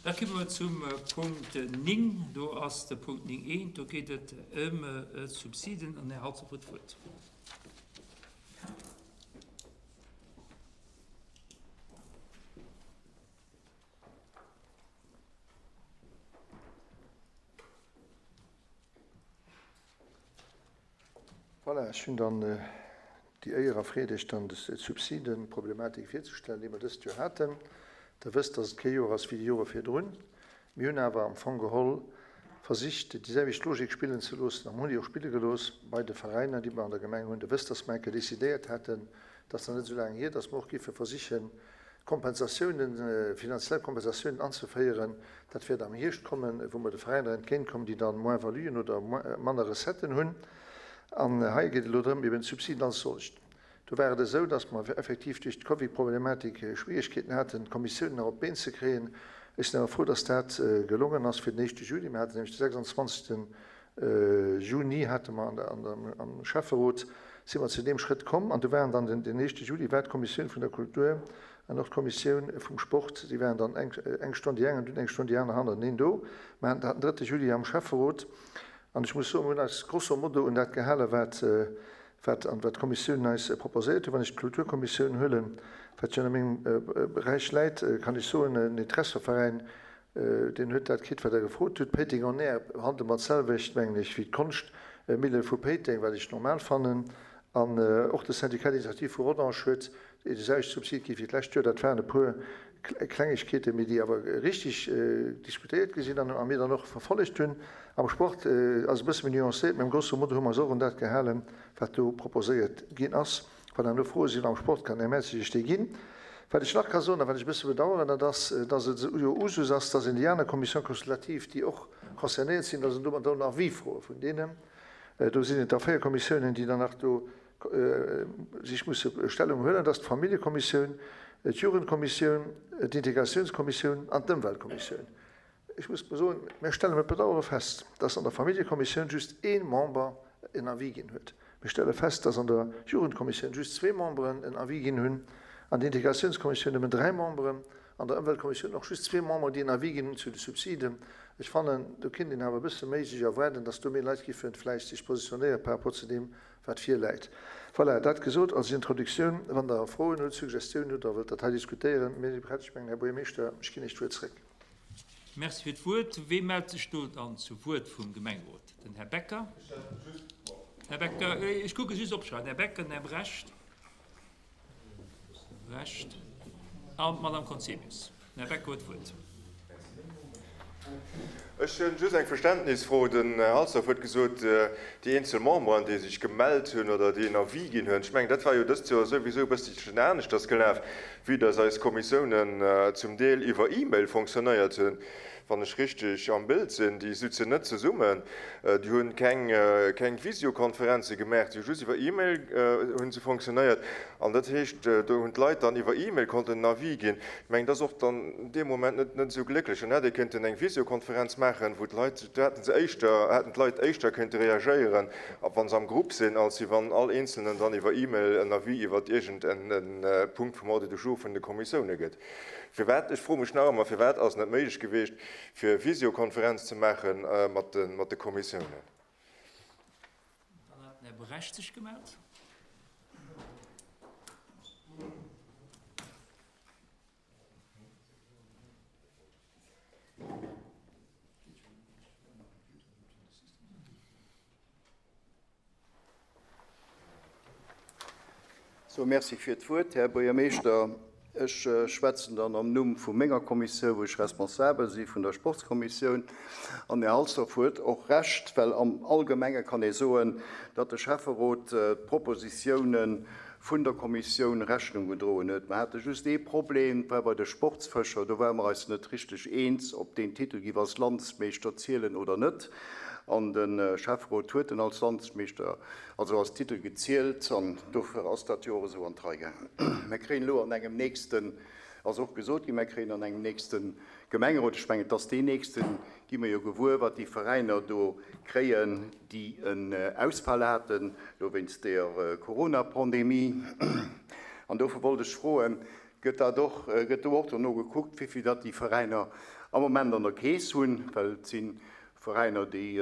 Da komme mer zum Punkt 9. Do ass de Punkt 9 eent. Do geet et ëm d'Subsiden. An den Här Halsdorf huet d'Wuert. Voilà, ech hunn dann déi Éier a Freed, Iech dann d'Subsidenproblematik virzestellen, déi mer dëst Joer haten. Der wësst, dass et kee Joer ass wéi déi Jore virdrun. Mir hunn awer am Fong geholl versicht, déi selwecht Logik spillen ze loossen a mir hunn déi och spille gelooss bei de Veräiner, déi mer an der Gemeng hunn. Der wësst, dass mer eng Kéier decidéiert haten, dat ass nach net esou laang hier, dass mer och géife versichen, Kompensatiounen, finanziell Kompensatiounen anzeféieren. Dat wäert am Hierscht kommen, wou mer de Veräiner entgéintkommen, déi dann Moins-valuen oder manner Recetten hunn. An hei geet et elo drëm, eben d'Subsiden als solcht. Do war et esou, dass mer effektiv duerch d'Covidproblematik Schwierigkeeten haten, d'Kommissiounen nach op d'Been ze kréien. Ech sinn awer frou, dass dat gelongen ass fir den éischte Juli. Mir haten nämlech de 26. Juni hate mer am Schäfferot, si mer zu deem Schrëtt komm an do waren dann den, den éischte Juli war d'Kommissioun vun der Kultur an och d'Kommissioun vum Sport, déi waren dann eng, eng Stonn déi eng an dunn eng Stonn déi aner hannerteneen do. Mer haten dat den drëtte Juli am Schäfferot an ech muss soen, mer hunn eis grosso modo un dat gehale wat, wat an wat d'Kommissiounen eis proposéiert hunn. Wann ech d'Kulturkommissioun huelen, wat jo a mengem Beräich läit, kann ech soen, den Interesseveräin Deen huet dat kritt, wat Der gefrot hutt. Péiteng on Air handelt mer d'selwecht, mengen ech, wéi d'Konschtmille vu Péiteng, wat ech normal fannen. An och de Syndicat d'initiative vu Rodange huet de selwechte Subsid kritt wéi d'lescht Joer. Dat waren e puer Klengegkeeten, mee déi awer richtig diskutéiert gi sinn an mir dann och verfollegt hunn. Am Sport ass e bësse méi nuancéiert, mee am grosso modo hu mer eis och un dat gehalen, wat do proposéiert ginn ass. Wann herno Froe sinn am Sport, kann den Här Mertzig Iech déi ginn. Wat ech nach ka soen a wat ech e bësse bedauern, dat ass, dass et jo Usus ass, dass een déi aner Commissions consultatives, déi och concernéiert sinn, dass een do mat en Avis froe vun deenen. Do sinn et da 4 Kommissiounen, déi dann nach do sech musse Stellung huelen. Dat ass d'Familljekommissioun, d'Jugendkommissioun, d'Integratiounskommissioun an d'Ëmweltkommissioun. Ech muss mol soen, mir stelle mat Bedauere fest, dass an der Familljekommissioun just ee Member en Avis ginn huet. Mir stelle fest, dass an der Jugendkommissioun just zwee Memberen en Avis ginn hunn, an der Integratiounskommissioun nëmmen dräi Memberen, an der Ëmweltkommissioun och just zwee Memberen, déi en Avis ginn hunn zu de Subsiden. Ech fannen, do kinnt een awer e bësse méi sech erwaarden, dass do méi Leit giffen vläicht sech positionéiere par rapport zu deem, wat virläit. Voilà, dat gesot als Introduktioun. Wann Der Froen hutt, Suggestiounen hutt oder wëllt dat hei diskutéieren, mir si prett. Ech mengen, Här Buergermeeschter, ech ginn Iech d'Wuert zréck. Merci fir d'Wuert. Wee mellt sech do dann zu Wuert vum Gemengerot? Den Här Becker. Här Becker, ech kucke just opschreiwen. Här Becker, den Här Brecht. Brecht an d'Madame Conzemius. Den Här Becker huet d'Wuert. Ech hunn just eng Verständnisfro. Den Här Halsdorf huet gesot, déi eenzel Memberen, déi sech gemellt hunn oder déi en Avis ginn hunn. Ech mengen, dat war jo dëst Joer souwisou e bësselchen aneschters gelaf, vue dass eis Kommissiounen zum Deel iwwer E-Mail fonctionnéiert hunn, wann ech richteg am Bild sinn. Déi sutzen net zesummen, déi hu keng, keng Visiokonferenze gemaach, déi hu just iwwer E-Mail hu se fonctionnéiert. An dat heescht, do hunn d'Leit dann iwwer E-Mail konnten en Avis ginn. Ech mengen, dat ass och dann dee Moment net, net esou glécklech. Dann hätt ee kënnten eng Visiokonferenz maachen, wou d'Leit, do hätte se éischter, hätten d'Leit éischter kënnte reagéieren, wa se am Grupp sinn, als wéi wann all Eenzelnen dann iwwer E-Mail en Avis iwwer iergend en Punkt vum Ordre du jour vun de Kommissioune gëtt. Firwat, ech froe mech nach ëmmer, firwat ass et net méiglech gewiescht, fir e Visiokonferenz ze maache mat de Kommissiounen? Dann hat den Här Brecht sech gemellt. Sou, Merci fir d'Wuert, Här Buergermeeschter. Ech schwätzen dann am Numm vu menger Kommissioun, wou ech responsabel si vun der Sportskommissioun. An den Här Halsdorf huet och Recht, well am Allgemenge kann ee soen, datt de Schäfferot d'Propositiounen vun der Kommissioun Rechnung gedroen huet. Mer hate just ee Problem, dat war bei de Sportsfëscher. Do ware mer eis net richteg eens, ob deen Titel giff als Landsmeeschter zielen oder net. An de Schäfferot huet en als Landsmeeschter, also als Titel gezielt, an dofir ass dat jo och esou an d'Rei gaangen. Mer kréien elo an engem nächsten, ass och gesot ginn, mer kréien an engem nächste Gemengerot, ech mengen et ass deen nächsten, gi mer jo gewuer, wat déi Veräiner do kréien, déi en Ausfall haten, elo wéinst der Coronapandemie. An dofir wollt ech froen. Gëtt dat och, gëtt do och dono gekuckt, wéi vill datt déi Veräiner am Moment an der Keess hunn? Well et si Veräiner, déi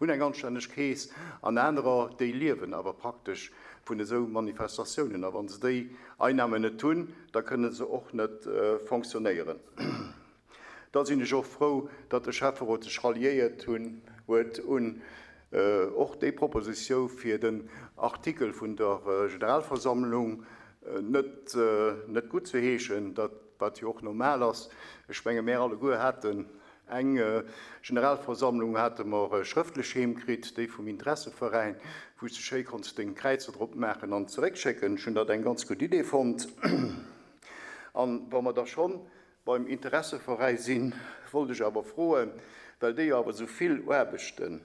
hunn eng anstänneg Keess an anerer, déi liewen awer praktesch vun esou Manifestatiounen. A wa se déi Einnahmen net hunn, da kënne se och net fonctionnéieren. Da sinn ech och frou, datt de Schäfferot sech ralliéiert hunn huet un och déi Propositiou fir den Artikel vun der Generalversammlung net net guttzeheeschen, dat wat jo och normal ass. Ech menge mär alleguer haten eng Generalversammlung hate mer schrëftlech heem kritt, déi vum Interesseveräin, wou s de schéi konns deng Kräizer drop maachen an zeréckschécken. Ech hunn dat eng ganz gutt Idee fonnt. An wa mer da schonn beim Interesseveräi sinn, wollt ech awer froen, well déi jo awer esou vill Aarbechten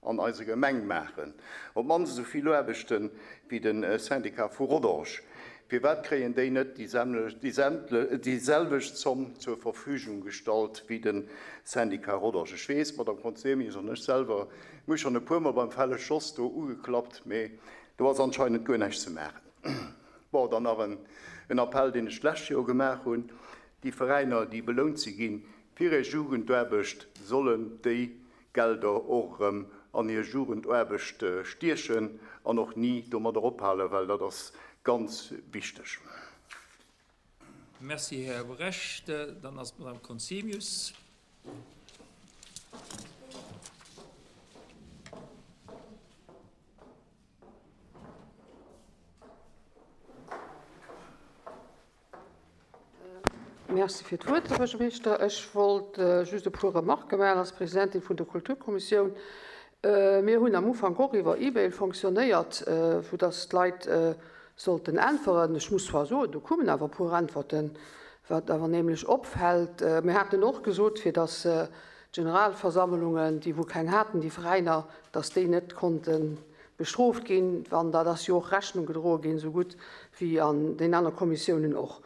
an eiser Gemeng maachen, op d'mannst esou vill Aarbechte wéi de Syndicat vu Rodange, firwat kréien déi net déi selwecht Zomm zur Verfügung gestallt wéi de Syndicat Rodange? Ech weess, d'Madame Conzemius an ech selwer, mir hu schonn e puermol beim Fellesch Jos do ugeklappt, mee do ass anscheinend guer näischt ze maachen. Bon, dann nach en Appell, deen ech d'lescht Joer gemaach hunn, Déi Veräiner, déi belount si gi fir hir Jugendaarbecht, sollen déi Gelder och erëm an hir Jugendaarbecht stiechen an och ni domadder ophalen, well dat ass ganz wichteg. Merci, Här Brecht. Dann ass d'Madame Conzemius. Merci fir d'Wuert, Här Buergermeeschter. Ech wollt just e puer Remarquë maachen als Presidentin vun der Kulturkommissioun. Mir hunn am Ufank och iwwer E-Mail fonctionnéiert, vu dass d'Leit sollten äntweren. Ech muss zwar soen, do koumen awer e puer Äntwerten, wat awer nämlech opfält. Mir haten och gesot, fir dass d'Generalversammlungen, déi wou keng haten, déi Veräiner, dass déi net konnte bestrooft ginn, wann dat ass jo och Rechnung gedroe ginn, esou gutt wéi an den aner Kommissiounen och.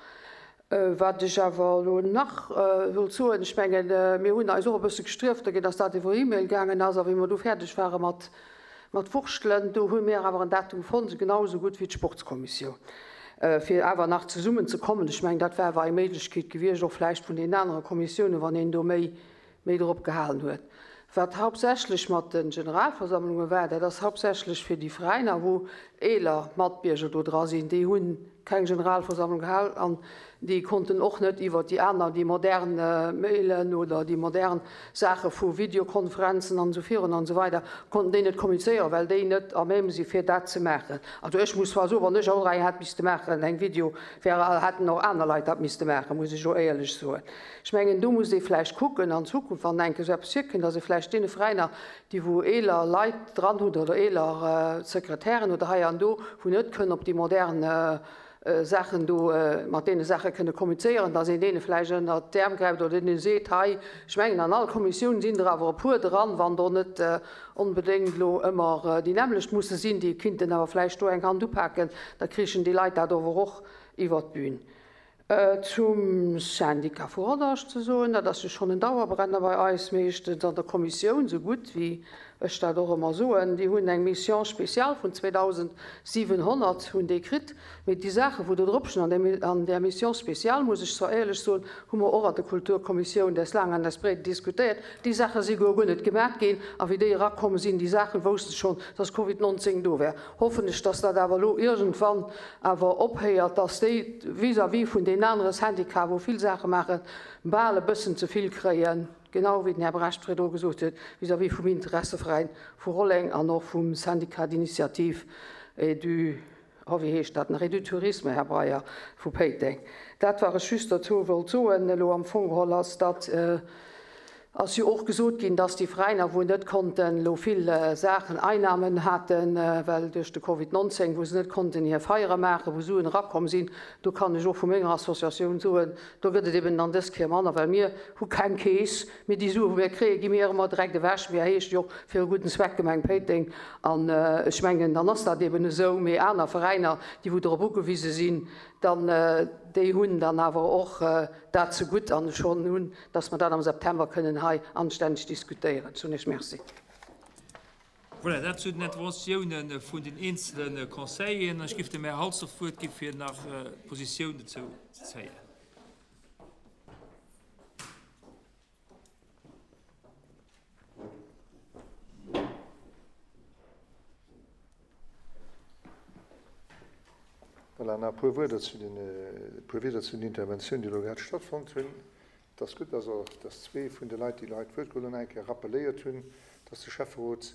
Wat ech awer elo nach wollt soen, ech mengen, mir hunn eis och e bësse gestrieft dergéint, dass dat iwwer E-Mail gaangen ass, a wéi mer du fäerdeg ware mat mat Wurschtelen, do hu mir awer en Datum fonnt, genau esou gutt wéi d'Sportskommissioun, fir awer nach zesummen ze kommen. Ech mengen, dat wär awer eng Méiglechkeet gewiescht, och vläicht vun deenen anere Kommissiounen, wann een do méi méi drop gehalen huet. Wat hauptsächlech mat de Generalversammlunge war, dat ass hauptsächlech fir déi Veräiner, wou eeler Matbierger do dra sinn, déi hu keng Generalversammlung gehal an déi konnten och net iwwert déi aner, déi modern Mailen oder déi modern Saache vu Videokonferenzen an esou virun an esou weider, konnten déi net kommunizéieren, well déi net à même si fir dat ze maachen. Also ech muss zwar soen, wann ech och eng hätt misste maachen, eng Video, wär, hätten och aner Leit dat misste maachen, muss ech elo éierlech soen. Ech mengen, do muss ee vläicht kucken an Zukunft, wann eng Kéier esou eppes virkënnt, dass ee vläicht deene Veräiner, déi wou eeler Leit dran hunn oder eeler Sekretären oder hei an do, wou net kënnen op déi modern Saachen do, mat deene Saache kënne kommunizéieren, dass een deene vläicht ënnert d'Äerm gräift oder deene seet, hei, ech mengen an all Kommissioun sinn der awer e puer dran, wann do net onbedéngt elo ëmmer déi nämmlecht musse sinn, déi kinnten awer vläicht do eng Hand upaken, da krichen déi Leit dat awer och iwwert d'Bün. Zum Syndicat vu Rodange ze soen, dat ass jo schonn en Dauerbrenner bei eis, meeschtens an der Kommissioun, sou gutt wéi ech dat och ëmmer soen. Déi hunn eng Mission spéciale vun 2.700 hunn déi kritt. Mee déi Saache wou do drop stinn an där Mission spéciale, muss ech zwar éierlech soen, hu mer och an der Kulturkommissioun des laang an des breet diskutéiert. Déi Saache si guer guer net gemat ginn. A wéi déi erakomm sinn, déi Saachen, wousste schonn, dass Covid 19 do wär. Hoffen ech, dass dat awer elo iergendwann awer ophéiert, dass déi vis-à-vis vun deenen anere Syndicaten, wou vill Saache maachen, bal e bëssen ze vill kréien, genau wéi den Här Brecht virdru gesot huet, vis-à-vis vum Interesseveräin vu Rolleng an och vum Syndicat d'initiative et du, oh wéi heescht dat nach, et du tourisme, Här Breyer, vu Péiteng. Dat, wat ech just dozou wollt soen elo am Fong geholl, ass, datt, Ass jo och gesot ginn, dass déi Veräiner, wou net konnten elo vill Saachen, Einnahmen haten, well duerch de Covid 19, wou se net konnten hir Feiere maachen, wou Suen erakomm sinn, do kann ech och vu menger Associatioun soen, do gëtt et eben dann dës Kéier manner, well mir hu keng Keess, mee déi Sue wou mir kréien, gi mir ëmmer direkt ewech. Mir heescht jo och fir e gudden Zweck Gemeng Péiteng an ech mengen, dann ass dat eben esou. Mee aner Veräiner, déi wou dorop ugewise sinn, dann déi hunn dann awer och dat zegutt an schonn hunn dass mer dat am September kënnen hei anstänneg diskutéieren. Ech soen Iech Merci. Voilà, dat zu den Interventiounen vun den eenzele Conseilleren. Ech géif dem Här Halsdorf d'Wuert gi fir nach Positioun dozou ze zéien. Voilà, nach e puer Wierder zu den, e puer Wierder zu den Interventiounen, déi elo grad stattfonnt hunn. Et ass gutt, dass och, dass zwee vun de Leit, déi elo hei d'Wuert geholl hunn, nach eng Kéier rappeléiert hunn, dass de Schäfferot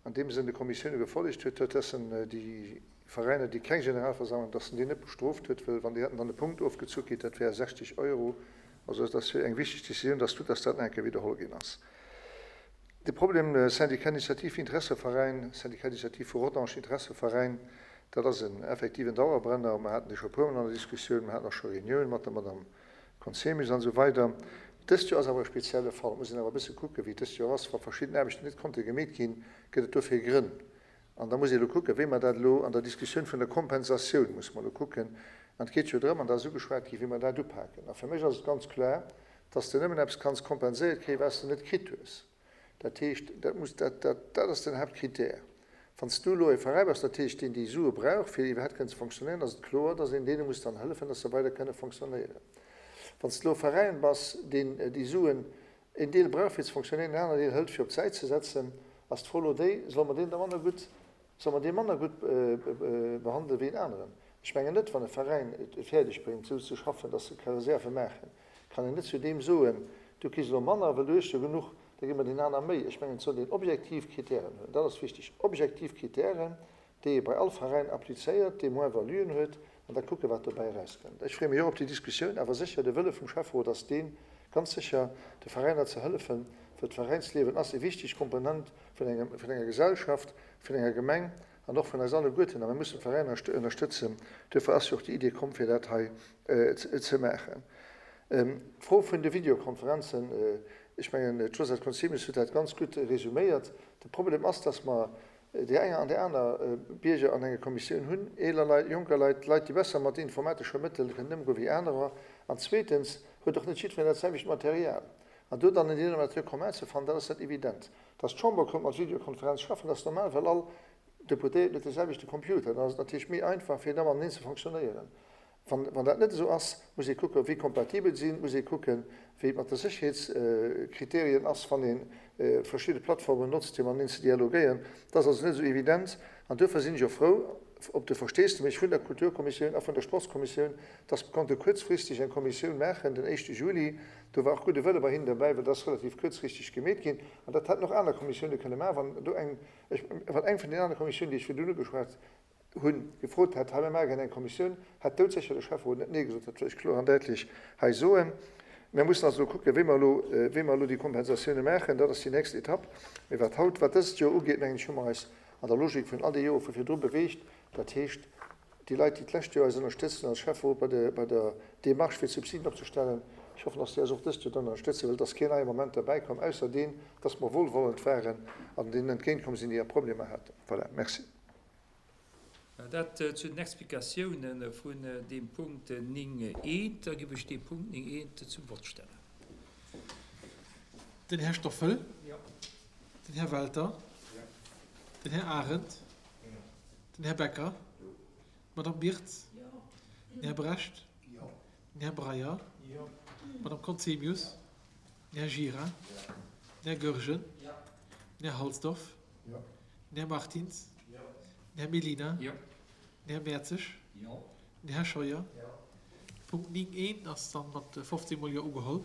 an deem Sënn de Kommissioune gefollegt huet, huet, dass en déi Veräiner, déi keng Generalversammlung, dass en déi net bestrooft huet, wëll wann déi hätten dann e Punkt ofgezu kritt, dat wäre 60 Euro. Also et ass eng wichteg Décisioun. Et ass gutt, dass dat nach eng Kéier widderholl ginn ass. De Problem Syndicat d'initiative Interesseveräin, Syndicat d'initiative vu Rodange Interesseveräin, dat ass en effektiven Dauerbrenner. Mer haten dee scho e puermol an der Diskussioun, mer haten och scho Reuniounen mat der Madame Conzemius an esou weider. Dëst Joer ass awer e spezielle Fall. Et muss een awer e bësse kucken, wéi et dëst Joer ass. Wa verschidden Aarbechten net konnte gemeet ginn, gëtt et dofir Grënn. An da muss ee elo kucken, wéi mer dat elo an der Diskussioun vun der Kompensatioun, musse mer elo kucken, an et geet jo drëm, an dat ass ugeschwat ginn, wéi mer dat upaken. A fir mech ass et ganz kloer, dass de nëmmen eppes kanns kompenséiert kréien, wat s de net kritt hues. Dat heescht, dat muss, dat, dat, dat ass den Haaptkrittär. Wann s du elo e Veräi bass, dat heescht, deen déi Sue brauch, fir iwwerhaapt kënnen ze fonctionnéieren, ass et kloer, dass een deene muss dann hëllefen, dass se weider kënne fonctionnéieren. Wann s de elo e Veräin bass, deen déi Suen een Deel brauch, fir ze fonctionnéieren, en aneren Deel hëlt, fir op d'Säit ze setzen, ass d'Fro elo déi, Solle mer deen da manner gutt Solle mer dee manner gutt behandelen wéi en aneren? Ech mengen net. Wann e Veräin et fäerdeg bréngt, esou ze schaffen, datt se ka Reserve maachen, kann een net zu deem soen, Du kriss elo manner, well du hues jo genuch, da gi mer deen aner méi. Ech mengen, et sollt een objektiv Kritären hunn. Dat ass wichteg, objektiv Kritären, déi ee bei all Veräin applizéiert, dee Moins-valuen huet, an da kucken, wat dobäi erauskënnt. Ech freeë mech och op déi Diskussioun, awer sécher, de Wëlle vum Schäfferot ass deen, ganz sécher de Veräiner ze hëllefen, well d'Veräinsliewen ass e wichteg Komponent vun engem, vun enger Gesellschaft, vun enger Gemeng an och vun eis alleguerten. A mir mussen d'Veräiner ënnerstëtzen. Duerfir ass jo och déi Idee komm, fir dat hei ze maachen. D'Fro vun de Videokonferenzen, ech mengen, d'Josette Conzemius huet dat ganz gutt resuméiert. De Problem ass, dass mer déi enger an déi aner Bierger an enger Kommissioun hunn, eeler Leit, jonker Leit, Leit, déi besser mat informatesche Mëttel kënnen ëmgoen wéi anerer. An zweetens huet och net jiddwereen dat selwecht Material. An do dann en Dénominateur commun ze fannen, dat ass net evident. Dass d'Chamber konnt mat Videokonferenz schaffen, ass normal, well all Deputéierten huet dee selwechte Computer. Dann ass et natierlech méi einfach, fir da mateneen ze fonctionnéieren. Wann, wann dat net esou ass, muss ee kucken, ob wéi kompatibel sinn, muss ee kucken, wéi et mat de Sécherheetskriterien ass, wann ee verschidde Plattformen notzt, fir mateneen ze dialogéieren. Dat ass also net esou evident. An duerfir sinn ech och frou op de Versteesdemech vun der Kulturkommissioun a vun der Sportskommissioun, dass mer konnte kuerzfristeg eng Kommissioun maachen den éischte Juli. Do war och gudde Wëlle bei hinnen derbäi, well dat ass relativ kuerzfristeg gemeet ginn. An dat hätten och aner Kommissioune kënne maachen, wann do eng, ech, wann eng vun den anere Kommissiounen, déi ech virdrun ugeschwat hunn, gefrot hätt, hei mir maache gär eng Kommissioun, hätt doudsécher de Schäfferot net Nee gesot. Dat wëll ech kloer an däitlech hei soen. Mir mussen also elo kucken, wéi mer elo, wéi mer elo déi Kompensatioune maachen. Dat ass déi nächst Etapp. Mee wat haut, wat dëst Joer ugeet, mengen ech, hu mer eis an der Logik vun all de Jore vu virdru beweegt. Dat heescht, Déi Leit, déi d'lescht Joer eis ënnerstëtzt hunn als Schäfferot bei der, bei der Démarche fir d'Subsiden opzestellen, ech hoffen, dass déi eis och dëst Joer dann ënnerstëtzen, well et ass keen neie Moment derbäikomm, ausser deen, dass mer wohlwollend waren an deenen entgéintkomm sinn, déi hir Problemer haten. Voilà, merci. Dat zu den Explikatiounen vun deem Punkt 9 eent. Da giff ech dee Punkt 9 eent zum Vott stellen. Den Här Stoffel. Den Här Welter. Den Här Arendt. Den Här Becker. D'Madame Birtz. Den Här Brecht. Den Här Breyer. D'Madame Conzemius. Den Här Gira. Den Här Goergen. Den Här Halsdorf. Den Här Martins. Den Här Mellina. Den Här Mertzig. Den Här Scheuer. Punkt 9 I ass dann mat 15 mol Jo ugeholl.